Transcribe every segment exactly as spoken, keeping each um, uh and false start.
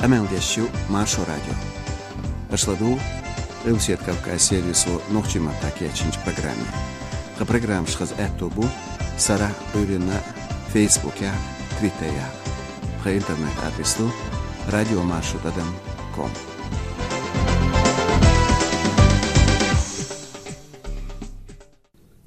Къамел деш ю Маршо радио. Аша ладугӀу Къилбаседа Кавказ сервисо нохчийн маттахь кечйинчу программе. Тхан программаш хаза аьтто бу сарахь а, Ӏуьйранна а Фейсбукехь а, Твиттерехь а. Тхан интернет-адрес ду радио маршо тӀадам ком.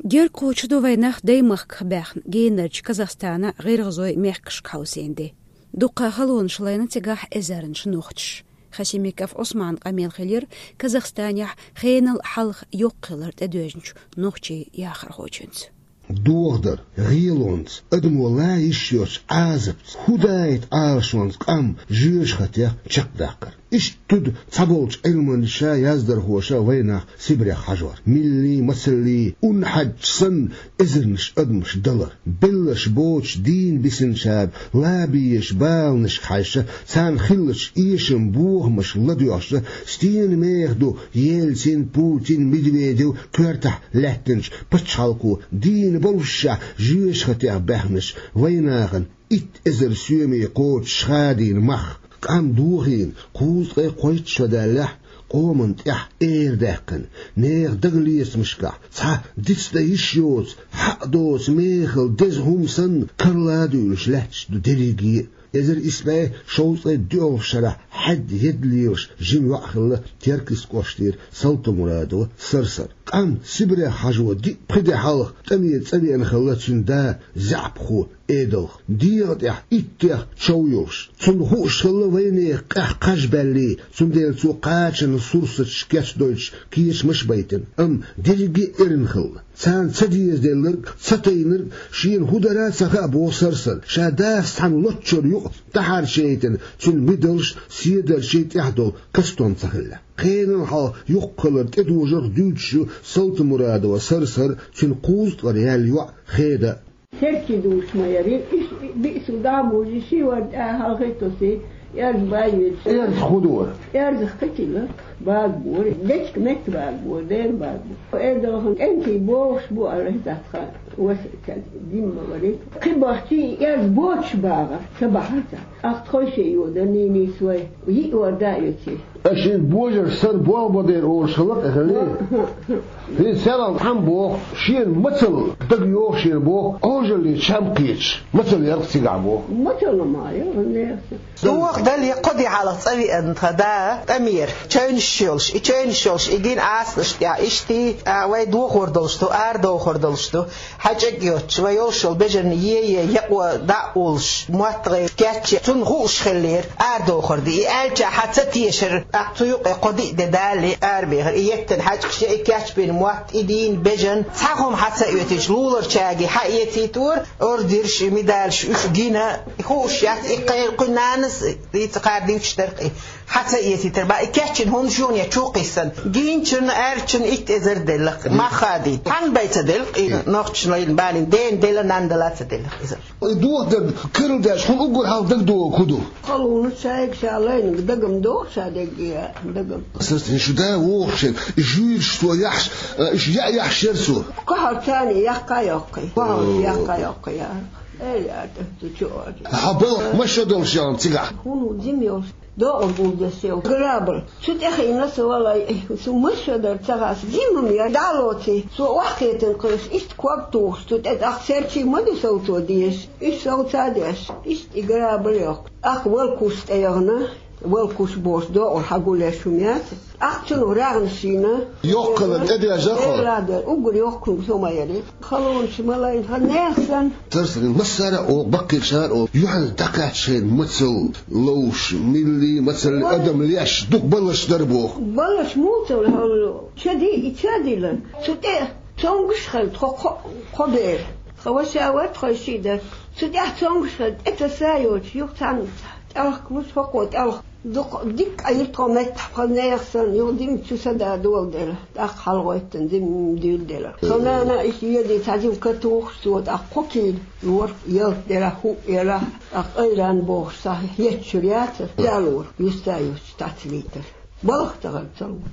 Герга кхочуш ду вайнах даймахках баьхна генарчу Казахстанан, ГӀиргӀазойн мехкашка хьовсийна де. Дуккха халонаш лайна цигахь эзарнаш нохчаша. Хасимиков Ӏусманан къамел хилира Казахстанехь хенал хьалха йоккха хилар тӀедоьжначу нохчийн яхархочуьнца. Дохадар, гӀелонца, адамо лан йиш йоцу Ӏазапца, хӀун даийта Ӏалашонца къам жоьжахатех чекхдаккхар. Иштта туьду цхьаболчу Ӏилманчаша, яздархоша вайнах Сибрех хьажор. Милли, мацалли, ун хьаьдча санна, эзарнаш адамаш далар. Белларш боцуш дийна бисинчара лан безачу баланашка хьаьжча, царна хиллачу эшаман бохамашка ладоьгӀча, стенан меха ду Ельцин, Путин, Медведев коьртахь лаьттинчу пачхьалкхо дийна боллушехь жоьжахатех баьхначу вайнахана итт эзар соьме кхочуш хадийна мах. Къам дохийна кхузткъе кхойтта шо даьллехь, къоман тӀехь эр даьккхина, нехан дагалецамашкахь цхьа дицдан йиш йоцу, хьакъ доцу мехала деза хӀума санна, карла а дуьйлуш лаьтташ ду дерриге а. Эзар исс бӀе шовзткъе доьалгӀачу шарахь хьаьдда едда лелаш жима йоӀ хилла Теркйист кӀоштара Салтамурадова Сарсар. Къам Сибрех хьажо диъ-пхи де хьалха тӀаме цӀа веана хилла цуьнан да заьӀапхо Эдалха, дегӀан тӀехь иттех чов йолуш. Цунна хууш хилла вайнехан къаьхьа кхаж баьллий, цундела цо кхачанан сурсаташ кечдойтуш кечамаш а байтина, амма дерриге а эрна хилла. Царна ца дезаделларг, ца тайнарг шена хӀун дара а ца хаьа, боху Сарсара. Ша дас цхьана лоччара юкъа дӀахьарчаяйтина, цуьнан мидалш, седарчий тӀехь долу кастон ца хилла. Кхенан хьалха йоккха хилар тӀедожарх дуьйцуш ю Салтамурадова Сарсар, цуьнан кхузткъара яьлла йоӀ Хеда. Серчий дуьйцуш ма яра, иштта биъсиг дӀа а бужий, ши вара тӀаьхьа хьалхе а тосий, эрза бай йоьдуш. Эрза хӀун дора? Эрзах кхетийла, бага бора, дечка метта бага бора, дера бага бора. Эдалхан кӀентий богӀуш бу аьлла, хӀетахь тхан васа ца димма варий. Кхин бахчий эрза боцуш багӀар, ца бахьара цара. Ахьа тхойшиъ йода нийнийс вай, йиъ вара да а йоций. Аша шен божарша сар болх бан дера олуш хилла-кх, эхь, хӀаллий? ХӀинца царал цхьамма боху, шена мацалла дага йогӀу шена боху, Ӏожаллин чам кхеташ, мацалла яра-кх цигахь боху. Мацалла ма яра, нехан. Доха дале, кхо де хьалха цӀа веана тхан да тӀамера, чевнаш йолуш, и чевнаш йолуш, и гина Ӏасанаш тӀехь, иштта, а, вай дохор долуш ду, арадохор долуш ду. ХьаьжкӀаг йоцуш, вай йолуш йолу бежанна е-е, якъо дӀа а уллуш, мотт гӀайра кечъян, цунна хууш хиллера, арадохур ду. И аьлча хьан ца тешара, тӀаккха цу юкъе кхо-диъ де далале арабехира. И еттина хьаьжкӀаш я, и кечбина мотт, и дийна бежан, цхьа хӀума хьан ца оьцуьйтуш, луларчаьрга хьан эцийтора, ордерш, и медалаш уьш гина, хууш яц, и кхайра кхуьнан нанас, и ца кхара дийцуш дара-кх и. Хьан ца эцийтара бах, и кечйина хӀума шуна я чу кхиссина. Гийначунна, аьррачунна итт эзар делла-кх, мах хадийта. Хьанна бен ца делла-кх и нохчашна лайна балийна, дена делла, нанна делла ца делла-кх иза. И дохадар карладеш, хьуна уггар хьалха дагадогӀург хӀун ду? Халонаш шайга ша лайнарг дагам догӀу, ша дегге дагам. Сарсар, шу да вогӀуш шен, и жуьйраш цо яхьаш, а, уьш яа яхьаш яра цо. Кхахьар царна яккха а йоккхий, кхахьар яккха а йоккхий яра. Эй, я, ту чу а. Хьан балха маша долуш яра цигахь? ХӀун ву, жима йолуш. ДоӀур гулдеш йолу грабар. Цу тӀехь йина со валай, цу маша дар ца хас, жимма яра. ДӀа а лоций, цо охьакхетина кхуьш, иштта ког тухуш, цу тӀе тӀаккха серчий ма ду совцо дезаш, уьш совца а деш, иштта и грабар йоккху. ТӀаккха валкуш тӀе яхана, валкуш бохуш доӀур хьан гулъеш хӀума яц. ТӀаккха цунах рагӀна шийна. Йоккхалан тӀедежа хьо? Эладар, уггар йоккхунг со ма яри. Халонаш ма лайна, хан нехан санна. Тарсарин массара а олу, баккхийчара а олу, юьхьанца дӀакхаьчча шайна мацалла ловш, милли мацалла адам леш, дукха балаш дара боху. Балаш муцалла хьалло. Чади, и чадила. Цу тӀе цомгуш хилла тхо кхо, кхо бер. Тхан ваша вара, тхойшиъ дара. Цу тӀехь цомгуш хилла, тӀе таса а йоцуш, юха цхьаьна тӀелхкалуш, хӀокхо тӀелх. Дукха дика йира тхо меттахь, пхи нехан санна, юха дима чу садан доладелла, тӀаккха хьалагӀоьттина дима дуьйладелла. Со нана иштта йоьдий цхьа жима катухуш, цо тӀаккха кхо кийла лора, ялта делахь, хӀуъ елахь, тӀаккха айран бохуш схьа хӀеттачуьра яцара, ялора, юьсса а юьсча, тӀаьцвийтара. Балха тахана ца лора.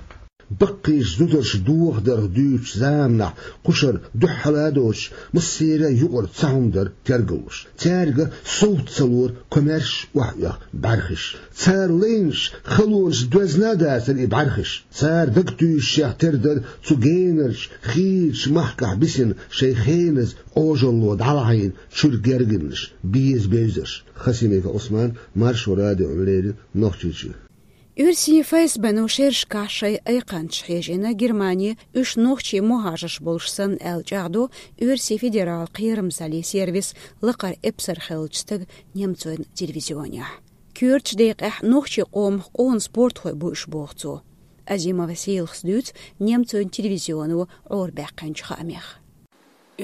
Баккхийчу зударша дохадарх дуьйцучу заманахь кхушара дуьххьала а доцуш, массеран а юкъара цхьа хӀума дара тергаллуш. Цаьрга совгӀат ца лора комаьрша охьаоьху бӀаьрхиш. Цара лайначу халонашца доьзна а дацара и бӀаьрхиш. Цара дагатуьйсушшехь тера дара цу генарчу, хийрачу махкахь бисина шайн хеназа Ӏожалло дӀалахьийна чуьра гергарнаш, беза бевзарш. Хасимиков Ӏусман, Маршо радиона леррина, Нохчийчоь. Оьрсийн ФСБ-но шерашкахь шайн айкханчаш хьежийна Германе, уьш нохчийн мухӀажарш болуш санна аьлла чӀагӀдо Оьрсийн федералан кхерамзаллин сервисан лакхара эпсар хиллачу стага немцойн телевизионехь. Коьртачу декъехь нохчийн къомах къона спортхой бу уьш, боху цо. Азимова Сийлахас дуьйцу немцойн телевизионо Ӏорабаьккхинчу хаамех.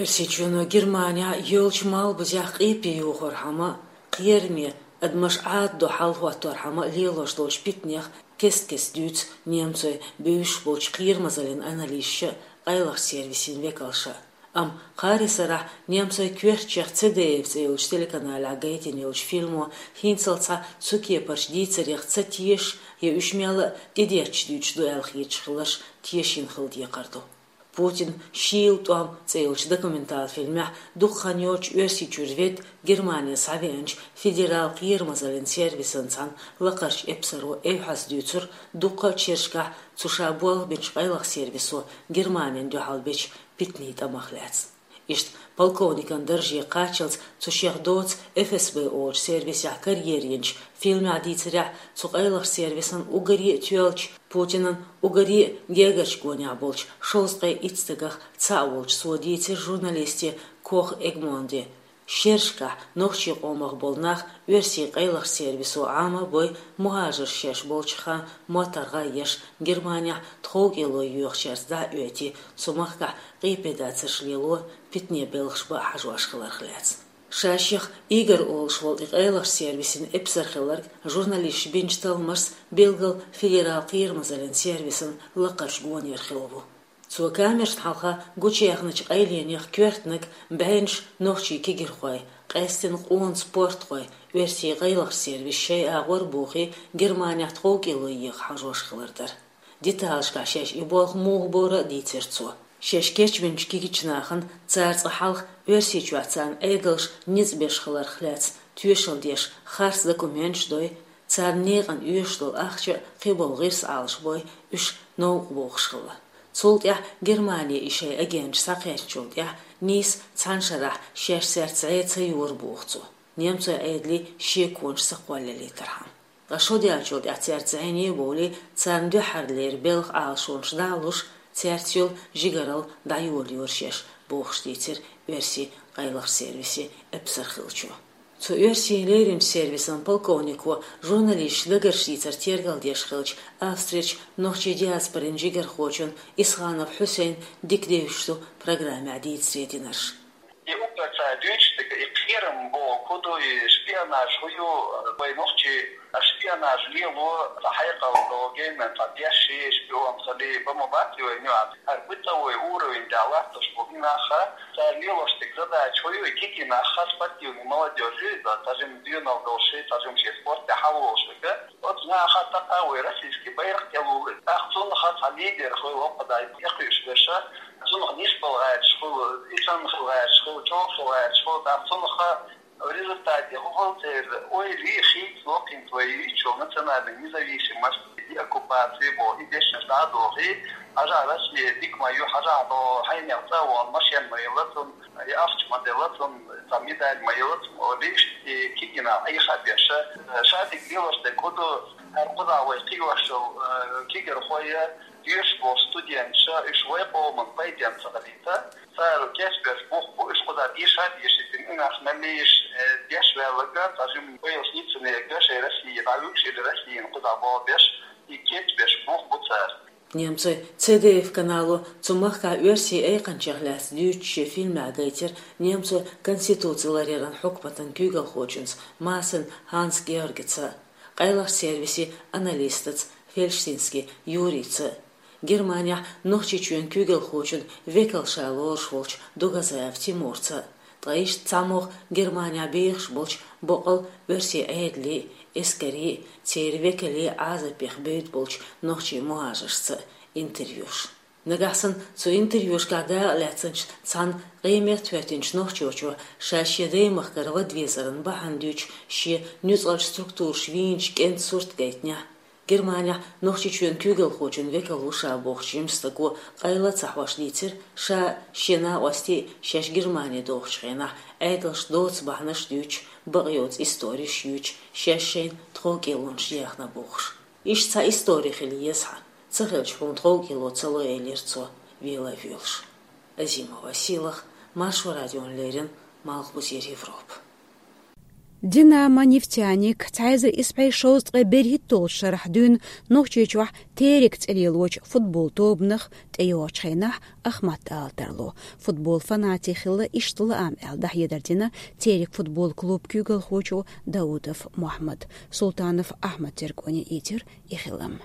Оьрсийчоьно Германехь йолчу малбузехь къепе йохорхьама, кхераме, адамаш Ӏададо хьал хӀотторхьама лелош долчу питанех кест-кеста дуьйцу немцойн бевзаш болчу кхерамзаллин аналисташа, къайлахчу сервисийн векалша. Амма кхаарин сарахь немцойн коьртачех ЦДФ цӀе йолчу телеканалехь гайтина йолчу фильмо хӀинццалц цу кепарчу дийцарех ца теша я уьш мелла а тӀедетташ дуьйцуш ду аьлла хеташ хиларш тешийна хила декхар ду. «Путин, шийла тӀом» цӀе йолчу документалан фильмехь дукха хан йоццуш Оьрсийчуьра ведда Германе схьавеанчу федералан кхерамзаллин сервисан цхьана лакхарчу эпсаро эвхьаза дуьйцура дуккха а шерашкахь цу ша болх бинчу къайлаха сервисо Германина дуьхьал бечу питанийн тӀамах лаьцна. Иштта полковникан дарже кхаччалц цу шех доцу ФСБ олучу сервисехь карьера йинчу фильмехь дийцарехь, цу къайлахчу сервисан уггаре а тоьллачу, Путинан уггаре а гергарчу гонехь болчу шовзткъе итт стагах цхьаъ волчу цо дийцира журналисте Кох Эгмонде. Шерашкахь нохчийн къомах болу нах оьрсийн къайлахчу сервисо Ӏама а бой, мухӀажарш шаьш болчу хана моттаргӀа а еш, Германехь тховкӀело йоьхучаьрца дӀа а оьтий, цу махкахь къепедацарш лело, питане белхаш бан а хьажош хиларх лаьцна. Ша-шех Игорь олуш волу и къайлахчу сервисийн эпсар хилларг журналисташа бинчу талламашца билггал федералан кхерамзаллин сервисан лакхарчу гонера хилла ву. Цо камерашна хьалха гучуяьхначу къайленех коьртаниг бӀеннаш нохчийн кегирхой, къаьсттина къона спортхой, оьрсийн къайлахчу сервисан шайн агӀор а бохий, Германехь тховкӀело еха хьажош хилар дара. Деталашкахь шаьш и болх муха бора а дийцира цо. Шаьш кечбинчу кегийчу нахана цара цкъа хьалха Оьрсийчохь царна Ӏедалша ницкъ беш хиларх лаьцна тоьшалла деш харц документаш дой, царна некъана оьшуш долу ахча а, кхиболу гӀирс Ӏалашбой, уьш новкъа бохуш хилла. Цул тӀаьхьа Германе и шайн агенташ схьакхаьчначул тӀаьхьа нийса цхьана шарахь шаьш цаьрца зӀе ца йора, боху цо, немцойн Ӏедале шеконаш ца кхоллалийтархьама. Ткъа шо даьллачул тӀаьхьа цаьрца зӀене а бовлий, царна дуьххьарлера белхан Ӏалашонаш дӀа а луш, цаьрца йолу жигаралла дӀайолайора шаьш, бохуш дийцира оьрсийн къайлахчу сервисан эпсар хиллачо. Цу оьрсийн леринчу сервисан полковнико журналисташна дагарш дийцар тергалдеш хиллачу Австрерчу нохчийн диаспорин жигархочун Исханов Хьусейна дика девзаш ду программехь дийцаре динарш. И уггар цара дуьйцуш дерг и кхерам бохург хӀун ду, и шпионаж хӀун ю, вай нохчий шпионаж лело, цхьа хьекъал долу генна цхьа дешший, шпион хилий, бан ма бац вай нюӀас. ХӀара бытовой уровень тӀехь латтош болу и нах, цара лелош дерг задача хӀун ю, и кегий нах, спортивный молодёжь ю иза, цхьа жимма доьналла долуш, цхьа жимма шен спорт тӀехь хьалаволуш верг. Оцу наха тӀаккха вай российский байракх тӀелулу. ТӀаккха цунах цхьа лидер хуьлу, хӀокху дай тӀекхуьуш берш, цунах нисбала гӀерташ хуьлу, и санна хила гӀерташ хуьлу, чӀогӀа хила гӀерташ хуьлу, тӀаккха цунах результате хӀун хуьлу церан ойла, хийца локхийна вай йийцучу национальной независимость, деоккупация боху, и дешнаш дӀа а дохий, хьажахь, Россия дика ма ю, хьажахь, хьо хьенех цӀа а вахана, машен ма елла цунна, и ахча ма делла цунна, цхьа медаль ма елла цунна, олий, и кегий нах Ӏеха а беш, ша дерг лелош дерг хӀун ду, хӀара кхузахь вай кхиош йолу, э, кегирхой, доьшуш болу студенташ, уьш вай къоман пайденна ца хилийта, цара кечбеш бух бу, уьш кхузахь деша а дешийтина, и нах мел лийша, э, деш ваьлларг, цхьа жимма вай йолуш ницкъ ца ергаш, шайн Россия дӀавуьгуш или Россияна кхузахь болх беш, и кечбеш бух бу цара. Немцойн Ц Д Ф канало цу махкахь оьрсийн айкханчех лаьцна дуьйцучу шен фильмехь гайтира немцойн конституци ларъяран хьукматан куьйгалхочуьнца Массен Ханс-Георгица, къайлахчу сервисан аналистаца Фельштинский Юрийца, Германехь Нохчийчоьнан куьйгалхочун векал ша лоруш волчу Дугазаев Тимурца, ткъа иштта цхьамогӀа Германехь бехаш болчу боккъал оьрсийн Ӏедалийн, эскарийн, церан векалийн Ӏазапех бевдда болчу нохчийн мухӀажаршца, Интервьюш. Нагахь санна цу интервьюшкахь дакъа лаьцначу цхьана къематта хӀоьттинчу нохчочо ша шен даймахкара вада везаран бахьана дуьйцу шен нуьцкъалчу структураш вийначу кӀентан сурт гайтинехь, Германехь Нохчийчоьнан куьйгалхочун векал ву ша бохучу жимачу стага къайла а ца хьош дийцира, ша, шен накъостий а шаьш Германе дохучу хенахь Ӏедалш доцу бахьанаш а дуьйцуш, бакъйоцу историш а юьйцуш, шаьш шайна тховкӀелонаш ехна бохуш. Иштта цхьа истори хила еза хьан, ца хилча хьуна тховкӀело ца ло, элира цо, вела а воьлуш. Азимова Сийлаха, Маршо радиона леррина, Малхбузера Европа. Динамо, Нефтяник, цхьа эзар исс бӀе шовзткъе берхӀитталгӀачу шарахь дуьйна Нохчийчохь «Терек» цӀе лелочу футбол тобанах тӀейогӀучу хенахь Ахмат ала тарло. Футбол фанатий хилла иштта лаам аьлла дӀахьедар дина «Терек» футбол клуб куьйгалхочо Даудов Мохьмада. Султанов Ахьмада тергоне ийцира и хилам.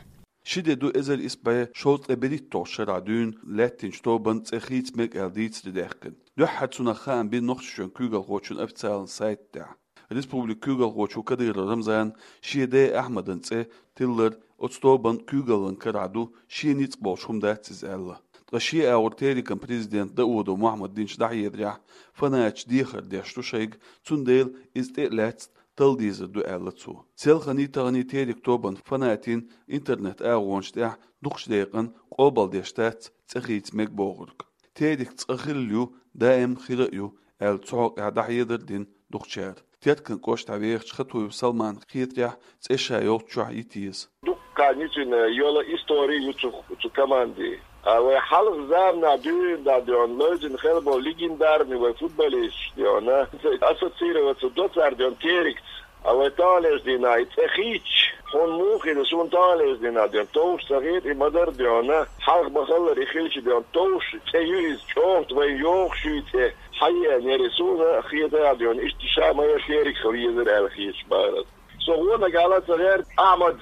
Ши де ду эзар исс бӀе шовзткъе берхӀитталгӀачу шарахь дуьйна лаьттинчу тобанан цӀе хийца мега аьлла дийцаре даьккхина. Дуьххьара цунах хаам бина Нохчийчоьнан куьйгалхочун официалан сайта тӀехь. Республикан куьйгалхочо Кадыров Рамзана шен ден Ахьмадан цӀе тиллар оцу тобанан куьйгаллин карахь ду, шен ницкъ болуш хӀума дац иза аьлла. Ткъа шен агӀор «Терекан» президента Даудов Мохьмада динчу дӀахьедарехь, фанаташ дехар деш ду шайга, цундела иза тӀе а лаьцна талла дезар ду, аьлла цо. Селхана а, тахана а «Терек» тобанан фанатийн интернет-агӀонаш тӀехь дукхачу декъана къобалдеш дац цӀе хийца мега бохург. «Терек» цкъа хилла ю, даим хир а ю, аьлла, цу хьокъехь дӀахьедар а дина дукхачара. Теркан кӀоштахь вехачу Хатуев Салмана хетарехь, цӀе ша йолччохь йита еза. Дуккха нисина йола истори ю цу, цу команди. А вай хьалха заманахь дуьйна дӀа дуьйна лайзина хилла болу легендарный вай футболисташ дуьйна ассоциироваться до цара дуьйна «Терекца». А вай таханлерчу дийнахь и цӀе хийцча, хьуна муха хир ю, суна таханлерчу дийнахь дуьйна товш ца хета, и ма-дарра дуьйна хьалха ма-хиллара и хилча дуьйна товш цӀе ю иза, чӀогӀа вайн йогӀуш ю и цӀе. Хьан еана яра и, суна хетарехь дуьйна иштта ша ма-дарра «Терек» хила езара аьлла хеташ бара. Со гӀо нагахь ала ца гӀерта Ахьмада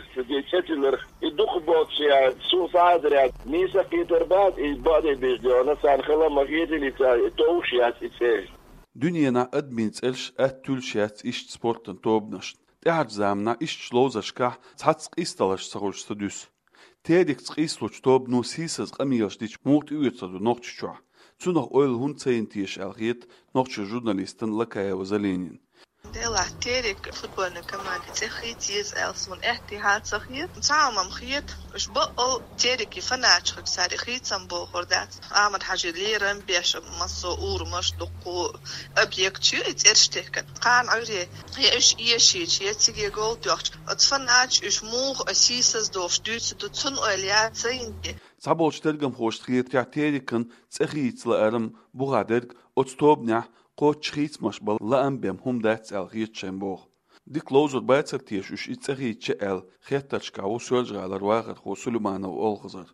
цӀе тиллар. И дукха боцуш яц, суна схьа а хезар яц, нийса а кхетар бац, и бакъдерг дийцича дуьйна, царна хала ма хетийла и цӀе, и товш яц и цӀе. Дуьненахь адамийн цӀераш атта туьллуш яц иштта спортан тобанашна. ТӀаьхьарчу заманахь ишттачу ловзаршкахь цхьацца къийсадаларш ца хуьлуш ца дуьсу. «Терекца» къийсалучу тобано сийсаза къамелаш дича муха тӀеоьцур ду Нохчийчохь? Цунах ойла хӀунда ца йина теша аьлла хета нохчийн журналистана Лакаева Залинина. Делахь «Терек» футбольный команди цӀе хийца еза аьлла суна аьттехьа ца хета. Цхьа хӀума-м хета, уьш бакъал «Терекан» фанаташ хилча, цара хийцам бохур дац. Ахьмад-Хьаьжин лерам беш, массо а урамаш, дуккха объекташ ю и цӀераш техкина. Кхана Ӏуьйре я уьш эшийча, я циге гол тоьхча, оцу фанаташа уьш муха а сийсаздохуш дуьйцур ду, цунна ойла яц ца йина те. Цхьаболчу тергамхошна хетарехь, «Терекан» цӀе хийца лааран бухахь дерг оцу тобанехь кхоччуш хийцамаш бан лаам бен хӀума дац аьлла хета шайна боху. Дика ловзур бацара теша уьш и цӀе хийцча аьлла, хеттаршкахь ву Соьлжа-ГӀалара вахархо Сулейманов Олхазар.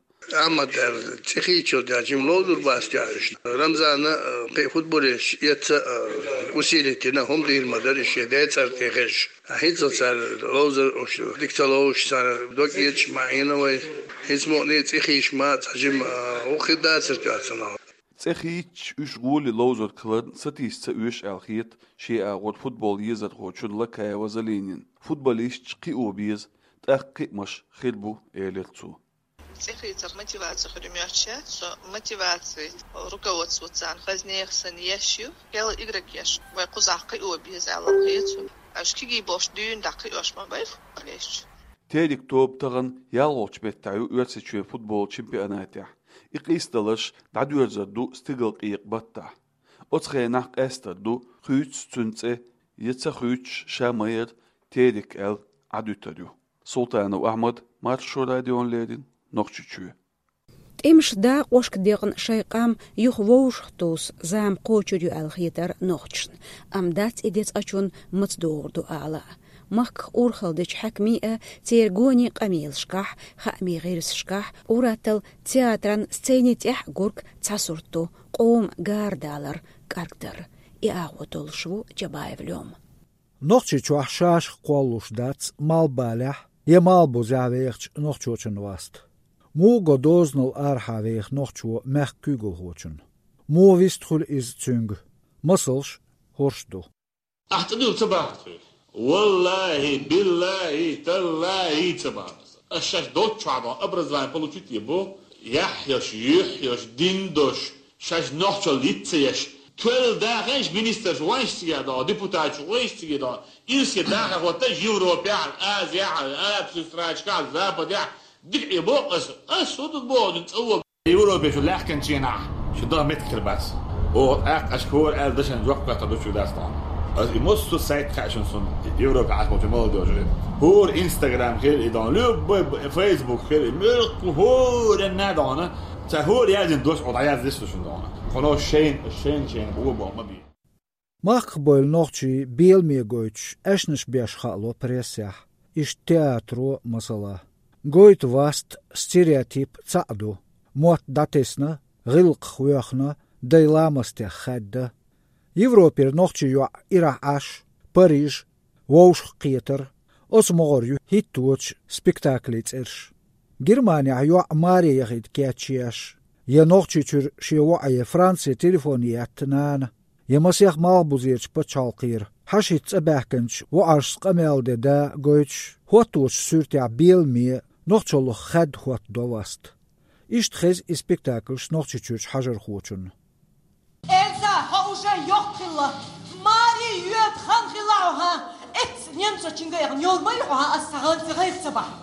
Ахьмада аьлла цӀе хийцча дерг жима ловзур бац те уьш. Рамзана, э, кхин а футболисташ эцца, э, усилить йина, хӀума дийр ма дара и шен ден цӀарна тӀе хезаш. ХӀинца цара ловзар уьш дика ца ловзуш, цара дог эцаш ма Ӏийна вай. ХӀинца мукъане а цӀе хийцча ма цхьа жима, э, гӀуллакх хир дацара те цунах. ЦӀе хийцча уьш гӀоле ловзург хиларна сатийса ца оьшу аьлла хета шен агӀор футбол езархочунна Лакаева Залинина. Футболисташ кхио беза, тӀаккха кхиамаш хир бу, элира цо. ЦӀе хийцар мотиваци хир ю моьттуш яц, со мотиваци руководствоца хаза нехан санна еш ю. Кхел игрокеш вай кхузахь кхио беза аьлла хета суна. Уьш кегий болуш дуьйна дӀакхиош ма бай футболисташ. «Терек» тоба тахана ялхолгӀачу меттехь ю Оьрсийчоьнан футбол чемпионатехь. И къийсадаларш дӀадоьрзур ду стигалкъекъа баттахь. Оцу хенахь къаьстар ду, хуьйцу цуьнан цӀе, я ца хуьйцуш, ша ма-дарра «Терек» аьлла Ӏадуьтур ю. Султанов Ахьмад, Маршо радиона леррина, Нохчийчоь. ТӀемаш дакъошка декъна шайн къам юха вовшахтосу зама кхочур ю аьлла хетара нохчашна. Амма дац и дезткъачунна маца догӀур ду ала а. Махках урхалла дечу хьаькамийн а, церан гонийн къамелашкахь, хаамийн гӀирсашкахь, ур-атталла театран сцени тӀехь гург цхьа сурт ду: къоман гара далар, кӀаргдар. И агӀо толлуш ву Джабаев Лёма. Нохчийчохь шашах кхоллалуш дац малхбалехь я малхбузехь вехачу нохчочун васт. Муха го дозанал арахьа веха нохчо мехкан куьйгалхочунна? Муха вист хуьлу иза цуьнга? Масалш хӀорш ду. Ахь цӀа дуьллу ца бахара хьоьга? Валлахи, биллахи, таллахи, ца бахара. Ас шаьш долччохь дон образование получить е бо, Яхь йолуш, юьхь йолуш, дин долуш, шаьш нохчалла йиц ца еш, тоьлла даха еш министраш вайша цига догӀу, депутаташ вайша цига догӀу, ирсе даха хӀотта Европехь, Азиехь, Арабских странашкахь, Западехь, дика Ӏе боху аса, аса хӀун ду боху, цӀа вон Европе шу лаьхкинченахь, шу даха меттиг хир бац. Оха тӀаккха аша хӀора аьлла дашан жоп кхетта ду шу дац тхьана. Аса и массо а сайт хаьа шуна суна, Европе Ӏаш болчу молодёжи. ХӀора Instagram хир и дон, любой Facebook хир и, муьлхха хӀора а дона, цара хӀора яздина дош оха дӀаяздеш ду шуна дона. Кхуно шайна, шайна, шайна гӀо боху ма бе. Махках бевлла нохчий беламе гойтуш, аьшнаш беш хаало прессехь. Иштта театро, масала. Гойту васт, стереотип цхьаъ ду. Мотт дӀатесна, гӀиллакхах воьхна, дай ламастех хаьдда. Европера нохчий йоӀ ирахь Ӏаш, Париж, вовшах кхетар, оцу могӀара ю хӀитточу спектаклийн цӀераш. Германехь йоӀ маре яхийта кечъеш, я Нохчийчуьра шен воӀе Франце телефон етта нана, я масех малхбузерчу пачхьалкхера хьашийтта цӀа баьхкинчу воӀаршца къамел ден да гойтуш, хӀотточу суьртехь беламе, нохчаллах хаьдда хӀоттадо васт. Иштта хеза и спектакльш Нохчийчуьрчу хьажархочунна. Эльза, хьо уже йоккха хилла. Маре йоьду хан хилла хьо, хӀа? Эцца немцочуьнга яхана йолу ма ю хьо, хӀа, ас сан гӀанца гӀайгӀа ца бахьа.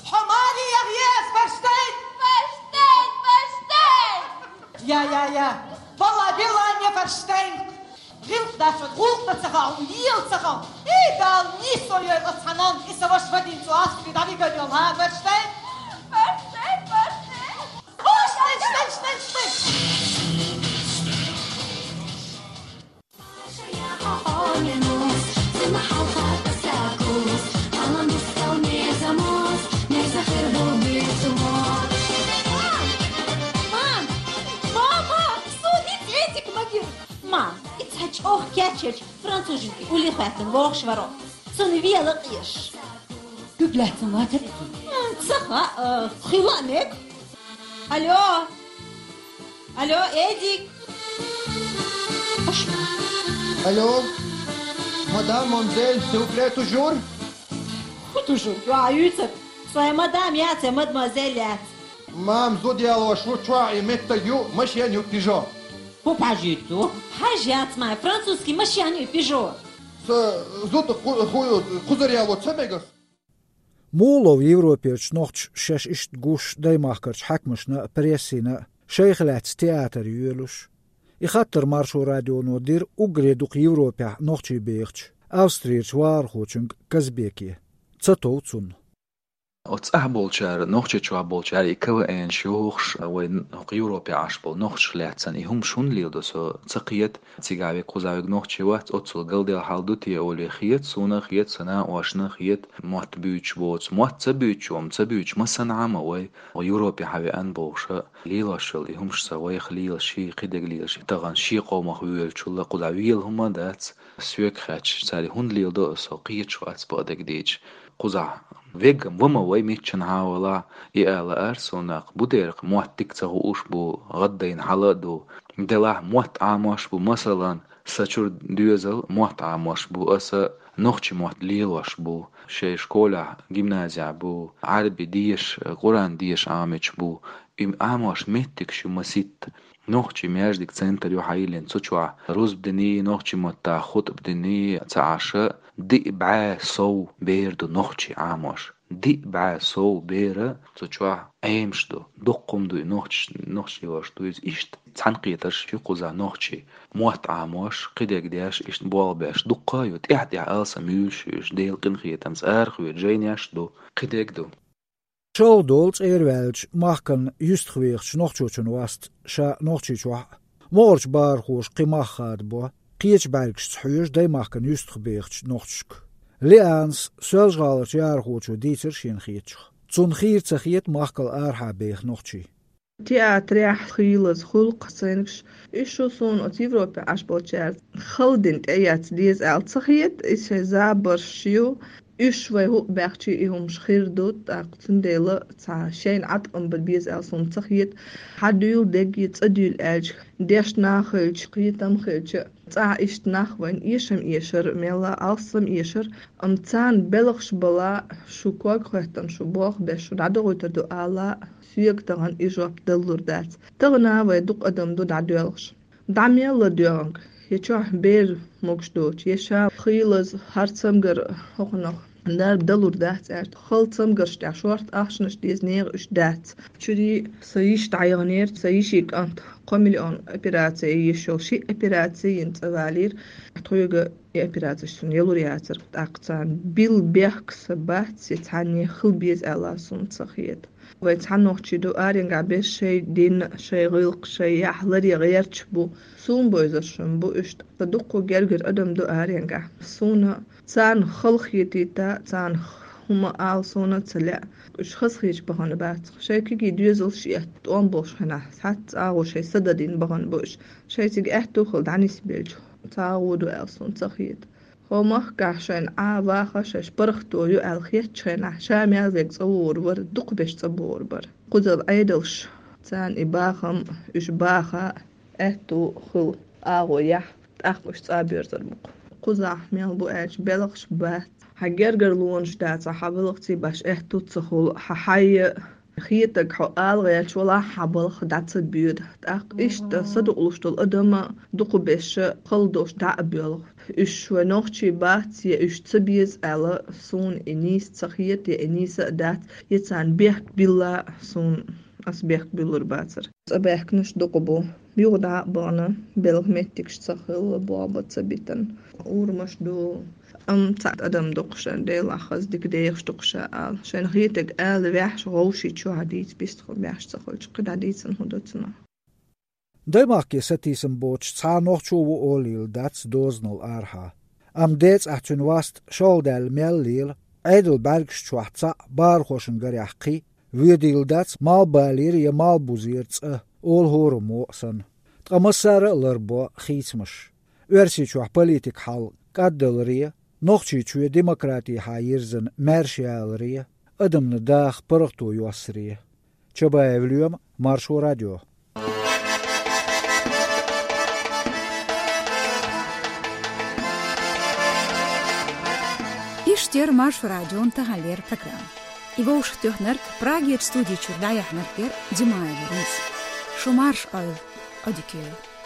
Хьо маре яхъе ас, фарштайн? Фарштайн, фарштайн! Я, я, я. Валла, билан я, фарштайн. ГӀиллакх дац, гӀуллакх дан ца хаьа, ела ца хаьа. Эй, Дала, нийсо йойла оцу хьанан, и сан ваша вадийна цу астагӀа дӀавигар йолу, хӀа, фарштайн? Фарштайн, фарштайн! Мам! Мама! Суна иза Эдик ма гира! Мам, и цхьа чӀогӀа кечъелча француженка уллехь хӀоьттина вогӀуш вара. Цунна вела къеш. Куьг лаьцна вацара иза? М, ца хаьа, хила а мега. Алло! Алло, Эдик! Алло! Мадам, мамзель, силупле, тужур? ХӀун тужур? Чохь юьйцург. Со я мадам яц, я мадемуазель яц. Мам, зуда ялош ву, чохь и меттиг ю, машен ю, пижо. ХӀун пхьажийта ду? Хьажа яц ма, французский машен ю, пижо. Со зуда ху-, ху-, кхузара яло ца мегас? Муха лов Европерчу нохчаша шаьш иштта гуш даймахкарчу хьаькамашна а, прессина а, шайх лаьцна театр йоьлуш? И хаттар Маршо радионо дира уггаре дукха Европехь нохчий бехачу, Австрерчу вахархочуьнга Казбеке. Ца тов цунна. Оцу цӀахь болчара, Нохчийчохь болчара и КВН-ш йохуш, вайн хӀокху Европехь Ӏаш болу нохчашка лаьцна и хӀумаш хӀунда леладо, со ца кхета. Цигахь верг, кхузахь верг нохчий вац, оццул галдела хьал ду те олий хета, суна а хета, сан накъосташна а хета, мотт буьйцуш боцу, мотт ца буьйцуш, ам ца буьйцуш, массанхьа а ма вай, Европе хьан веана бохуш а, лелош йолу и хӀумаш сан вайх лелаш, ши кхидерг лелаш, тахана шен къомах воьлучул а кхузахь вела хӀума а дац, соьга хаьттича, цара и хӀунда леладо а со кхеташ вац бакъдерг дийцича, кхузахь вегга ма вай миччанхьа а валахь, и ала ара суна, бу дера, мотт дика ца хууш бу, гӀаддайна хьал а ду, делахь мотт Ӏамош бу, масалан, Сан чуьра доьзал мотт Ӏамош бу, аса нохчийн мотт лелош бу. Шайн школехь, гимназехь бу, Ӏаьрби деша, Къуръан деша Ӏамийча бу. И Ӏамош меттигаш ю маситта. Нохчийн маьждиг, центр ю хьайиллина, цу чохь рузба диний, нохчийн маттахь хутӀба диний ца Ӏаш, диъ бӀе сов бер ду нохчийн Ӏамош. Диъ бӀе сов бер цу чохь Ӏемаш ду, дуккха хӀума ду и нохчаш-, нохчийн ваша ду иза. Иштта цхьаьнакхетарш ю кхузахь нохчийн. Мотт Ӏамош, кхидерг деш, иштта болх беш, дуккха а ю, тӀаьхь-тӀаьхьа алсам юьйлуш ю уьш, Делан къинхетамца арахоьцу жайнеш а ду, кхидерг а ду. Шалха долу цӀера ваьллачу махкана юьстах вехачу нохчочун васт ша Нохчийчохь а, могӀарчу бахархоша кхин мах хадабо, кхечу бӀаьргашца хьоьжу даймахкана юьстах бехачу нохчашка. Лианас, Соьлжа-ГӀаларчу яхархочо, дийцира шена хетачух. Цунна хийра ца хета махкал арахьа беха нохчий. Театрехь хийлаза хуьлу кхин сценаш. Уьш шу суна оцу Европе Ӏаш болчаьрца хала дина тӀеэца деза аьлла ца хета, и шайн забарш ю. Уьш вай хӀуъа баьхчи и хӀумаш хир ду, тӀаккха цундела цхьа шайна Ӏаткъам бан беза аьлла суна ца хета. Хьан дуьйла дегги цӀа дуьйла аьлча, дешна а хилча, кхетам а хилча, Цхьа иштта нах вайн эшам эшар, мелла алсам эшар, ам царна белхаш бала, шу ког хӀоьттан, шу бох беш, шу дӀадохуйтар ду ала, соьга тахана и жоп даллур дац. Тахана вай дукха адам ду дӀадоьлхуш. ДӀа мелла доьгӀанг, я чохь бер могуш доцу, я ша хийлаза хӀара цамгар хӀокхунах дарба далур дац аьлла, хала цамгарш тӀехь шорта ахчанаш деза нехан уьш дац. Чуьри сан йиш дӀайигӀнера, сан йиши кӀант кхо миллион операци йиш йолу ши операци йина цӀа валийра. Тхоьга и операциш суна ялур яцара. ТӀаккха царна билла бехк сан бац, я цхьанне хила беза аьлла суна ца хета. Вай цхьа нохчий ду аренгахь беш шайн дин, шайн гӀиллакх, шайн яхь ларъян гӀерташ бу. Суна бовзаршна бу уьш. Ткъа дуккха гергара адам ду аренгахь. Суна царна хала хетийта, царна хӀума ала суна ца лаьа. Уьш хазахеташ бахана бац. Шайн кегий доьзалш а тӀом болуш хенахь, цхьацца агӀо шайн са дан дина бахана бу уьш. Шайн цига аьтту хила дӀанисбелча, ца агӀо ду аьлла суна ца хета. ХӀо махкахь шайна Ӏа ваха шаьш паргӀато ю аьлла хетачу хенахь, ша мел вега цӀа вогӀур вара, дукха беш цӀа богӀур бара. Кхузара Ӏедалш, царна и бахам, уьш баха аьтту хила агӀо яхь, тӀаккха уьш цӀа боьрзур бу-кх. Кхузахь мел бу аьлча белхаш бац. Хьан гергарлонаш дацахь, хьан балхаций баш аьтту ца хуьлу, хьан хьайя хетаг хьо ала гӀерташ валахь, хьан балха дӀа ца боьду. ТӀаккха иштта садукъалуш долу адам дукха беш хала долуш дӀа а боьлху. Уьш вай нохчий бац, я уьш ца беза аьлла, суна и нийса ца хета, я и нийса а дац, я царна бехк билла, суна ас бехк буьллур бацара. ЦӀа баьхкинарш дукха бу. Юха дӀа а бахана, белхан меттигаш ца хилла, бохба ца битина. Урамаш ду. Амма цхьа адам дукха шайн Делахь хаза дика дехаш дукха ша ала. Шайна хетаг ала ваьхьаш, гӀовши чохь дийца бистхула баьхьаш ца хуьлча, кхидӀа дийцина хӀун ду цунах? Даймахке сатийсам боцуш цхьа нохчо ву олийла дац дозанал арахьа. Амма децӀахь цуьнан васт шолгӀа даьлла мел лела, Ӏедал бӀаьргаш чохь цхьаъ, бахархошна гарехь кхин, воьдийла дац малхбалера я малхбузера цӀа, олу хӀораммо а санна. Ткъа массара а ларбо хийцамаш. Оьрсийчохь политикан хьал кӀаддаларе, Нохчийчоь демократехьа йирзина маьрша яларе, адамна даха паргӀато йоссаре. Чабаев Лоьма, Маршо радио. Иштта яра Маршо радион таханлера программа. И вовшахтоьхнарг, Прагерчу студи чуьра дӀаяьхьнарг яра Димаева Лиза. Шу марша Ӏойла, Ӏодика йойла.